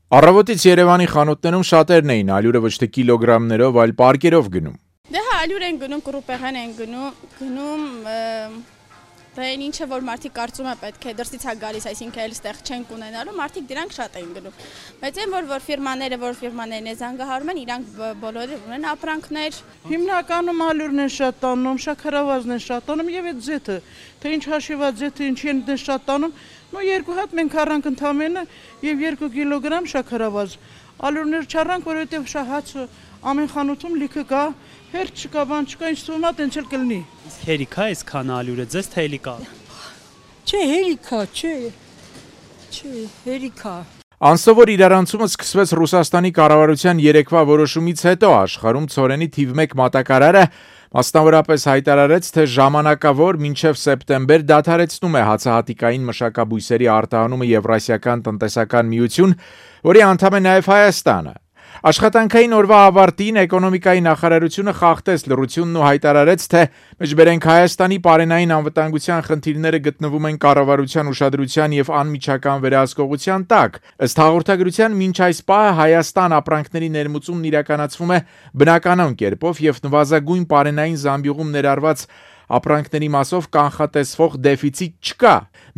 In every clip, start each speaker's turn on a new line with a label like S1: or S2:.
S1: Առավոտից Երևանի խանութներում շատերն էին ալյուրը ոչ թե կիլոգրամներով, այլ պարկերով գնում։
S2: Դե հա, ալյուր են գնում, կռուպեղեն են գնում, դա են ինչը որ մարդիկ կարծում է պետք է դրսից է գալիս, այսինքն էլ ստեղ չենք ունենալու, մարդիկ դրանք շատ էին գնում։ Բայց այն որ ֆիրմաներն է զանգահարում են, իրանք բոլորը ունեն ապրանքներ։
S3: Հիմնականում ալյուրն են շատ տանում, շաքարավազն են շատ տանում եւ այդ ձեթը, թե ինչ հաշիված ձեթը ինչի են շատ տանում, երկու հատ մենք առանք ընդամենը եւ 2 կիլոգրամ շաքարավազ։ Ալյուրներ չառանք, որովհետեւ հացը ամեն խանութում լիքը կա, հերթ չկա, բան չկա, ինչ թվում է, տենց էլ կլինի։
S4: Իսկ հերիք է այսքան ալյուրը, ձեզ թե հերիք է։
S5: Չէ, հերիք է, չէ, հերիք է։
S1: Անսովոր իրարանցումը սկսվեց Ռուսաստանի կառավարության երեկվա որոշումից հետո աշխարհում ցորենի թիվ 1 մատակարարը մասնավորապես հայտարարեց, թե ժամանակավոր մինչև սեպտեմբեր դադարեցնում է հացահատիկային մշակաբույսերի արտահանումը Եվրասիական տնտեսական միություն, որի անդամ է նաև Հայաստանը։ Աշխատանքային օրվա ավարտին էկոնոմիկայի նախարարությունը խախտեց լռությունն ու հայտարարեց, թե մեջբերենք Հայաստանի պարենային անվտանգության խնդիրները գտնվում են կառավարության ուշադրության եւ անմիջական վերահսկողության տակ։ Ըստ հաղորդագրության մինչ այս պահը Հայաստան ապրանքների ներմուծումն իրականացվում է բնականon կերպով եւ նվազագույն պարենային զամբյուղում ներառված ապրանքների մասով կանխատեսվող դեֆիցիտ չկա։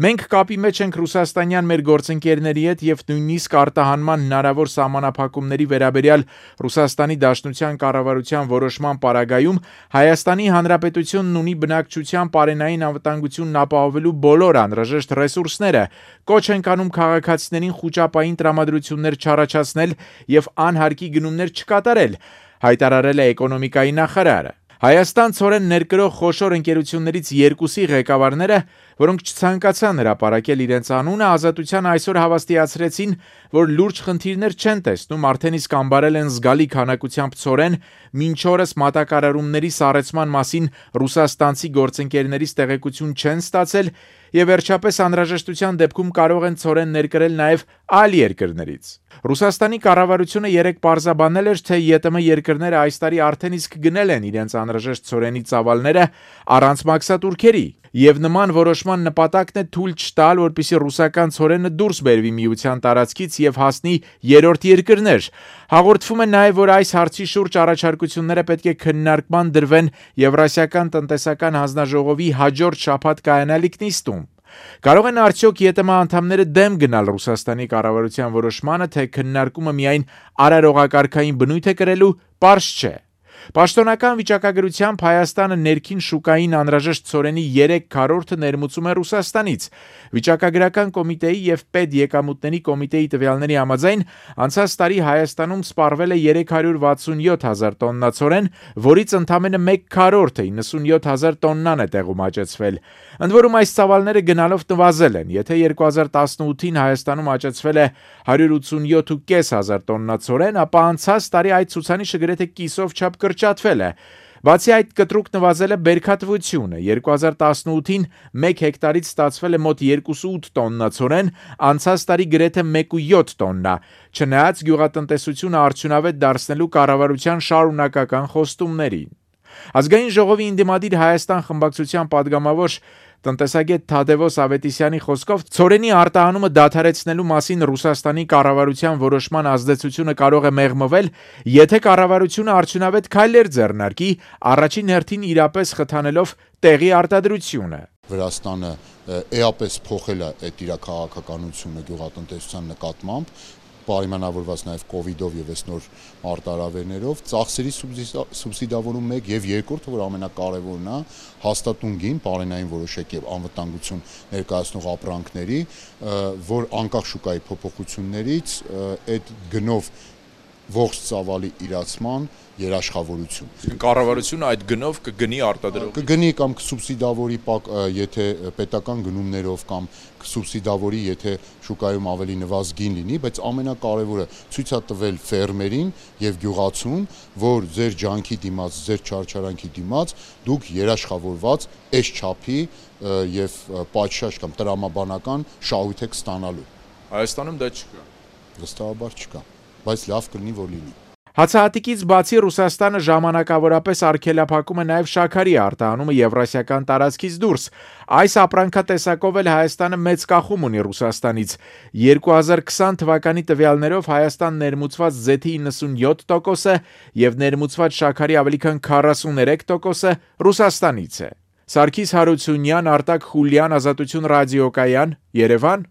S1: Մենք կապի մեջ ենք ռուսաստանյան մեր գործընկերների հետ եւ նույնիսկ արտահանման հնարավոր սահմանափակումների վերաբերյալ Ռուսաստանի Դաշնության կառավարության որոշման պարագայում Հայաստանի Հանրապետությունն ունի բնակչության պարենային անվտանգությունն ապահովելու բոլոր անհրաժեշտ ռեսուրսները, կոչ ենք անում քաղաքացիներին խուճապային տրամադրություններ չառաջացնել եւ անհարկի գնումներ չկատարել, հայտարարել է էկոնոմիկայի նախարարը։ Հայաստան ցորեն ներկրող խոշոր ընկերություններից երկուսի ղեկավարները, որոնք չցանկացան հրապարակել իրենց անունը, Ազատության այսօր հավաստիացրեցին, որ լուրջ խնդիրներ չեն տեսնում, արդեն իսկ ամբարել են զգալի քանակությամբ ցորեն, մինչ օրս մատակարարումների սառեցման մասին ռուսաստանցի գործընկերներից տեղեկություն չեն ստացել եւ վերջապես անհրաժեշտության դեպքում կարող են ցորեն ներկրել նաեւ այլ երկրներից։ Ռուսաստանի կառավարությունը երեք պարզաբանել էր, թե ԵՏՄ երկրները այս տարի արդեն իսկ գնել են իրենց անհրաժեշտ ցորենի ծավալները առանց մաքսատուրքերի, եւ նման որոշման նպատակն է թույլ չտալ, որպեսզի ռուսական ցորենը դուրս բերվի միության տարածքից եւ հասնի երրորդ երկրներ։ Հաղորդվում է նաեւ, որ այս հարցի շուրջ առաջարկությունները պետք է քննարկման դրվեն Եվրասիական տնտեսական հանձնաժողովի հաջորդ շաբաթ կայանալիք նիստում։ Կարող են արդյոք ԵՏՄ անդամները դեմ գնալ Ռուսաստանի կառավարության որոշմանը, թե քննարկումը միայն արարողակարգային բնույթ է կրելու, պարզ չէ։ Պաշտոնական վիճակագրությամբ Հայաստանը ներքին շուկային անհրաժեշտ ցորենի 3/4-ը ներմուծում է Ռուսաստանից։ Վիճակագրական կոմիտեի եւ պետեկամուտների կոմիտեի տվյալների համաձայն անցած տարի Հայաստանում սպառվել է 367,000 տոննա ցորեն, որից ընդամենը 1/4-ը 97,000 տոննան է տեղում աճեցվել։ Ընդ որում այս ծավալները գնալով նվազել են, եթե 2018-ին Հայաստանում աճեցվել է 187,500 տոննա ցորեն, ապա անցած տարի այդ ցուցանիշը գրեթե կիսով չափ կրճատվել է։ Բացի այդ կտրուկ նվազել է բերքատվությունը, 2018-ին 1 հեկտարից ստացվել է մոտ 2,8 տոննա ցորեն, անցած տարի գրեթե 1,7 տոննա, չնայած գյուղատնտեսությունը արդյունավետ դարձնելու կառավարության շարունակական խոստումներին։ Ազգային ժողովի ընդդիմադիր Հայաստան խմբակցության падգամավոր տնտեսագետ Թադևոս Ավետիսյանի խոսքով ցորենի արտահանումը դադարեցնելու մասին Ռուսաստանի կառավարության որոշման ազդեցությունը կարող է մեղմվել, եթե կառավարությունը արդյունավետ քայլեր ձեռնարկի, առաջին հերթին իրապես խթանելով տեղի արտադրությունը։
S6: Վրաստանը էապես փոխել է այդ իր քաղաքականությունը գյուղատնտեսության նկատմամբ, պայմանավորված նաև կովիդով եւ այս նոր արտարավերներով, ծախսերի սուբսիդավորում 1 եւ երկրորդը, որ ամենակարևորն է, հաստատուն գին, պարենային որոշակ եւ անվտանգություն ներկայացնող ապրանքների, որ անկախ շուկայի փոփոխություններից այդ գնով ողջ ծավալի իրացման երաշխավորություն։
S1: Կառավարությունը այդ գնով կգնի արտադրող։
S6: Կգնի կամ կսուբսիդավորի, եթե պետական գնումներով կամ կսուբսիդավորի, եթե շուկայում ավելի նվազ գին լինի, բայց ամենակարևորը ցույց է տվել ֆերմերին եւ գյուղացուն, որ ձեր ջանքի դիմաց, ձեր չարչարանքի դիմաց դուք երաշխավորված այս չափի եւ պատշաճ կամ տրամաբանական շահույթ եք ստանալու։
S1: Հայաստանում դա չկա։
S6: Վստահաբար չկա, բայց լավ կլինի, որ լինի։
S1: Հացահատիկից բացի Ռուսաստանը ժամանակավորապես արգելափակում է նաև շաքարի արտահանումը եվրասիական տարածքից դուրս։ Այս ապրանքատեսակով էլ Հայաստանը մեծ կախում ունի Ռուսաստանից։ 2020 թվականի տվյալներով Հայաստան ներմուծված զեթի 97%-ը եւ ներմուծված շաքարի ավելի քան 43%-ը Ռուսաստանից է։ Սարգիս Հարությունյան, Արտակ Խուլյան, Ազատություն ռադիոկայան, Երևան։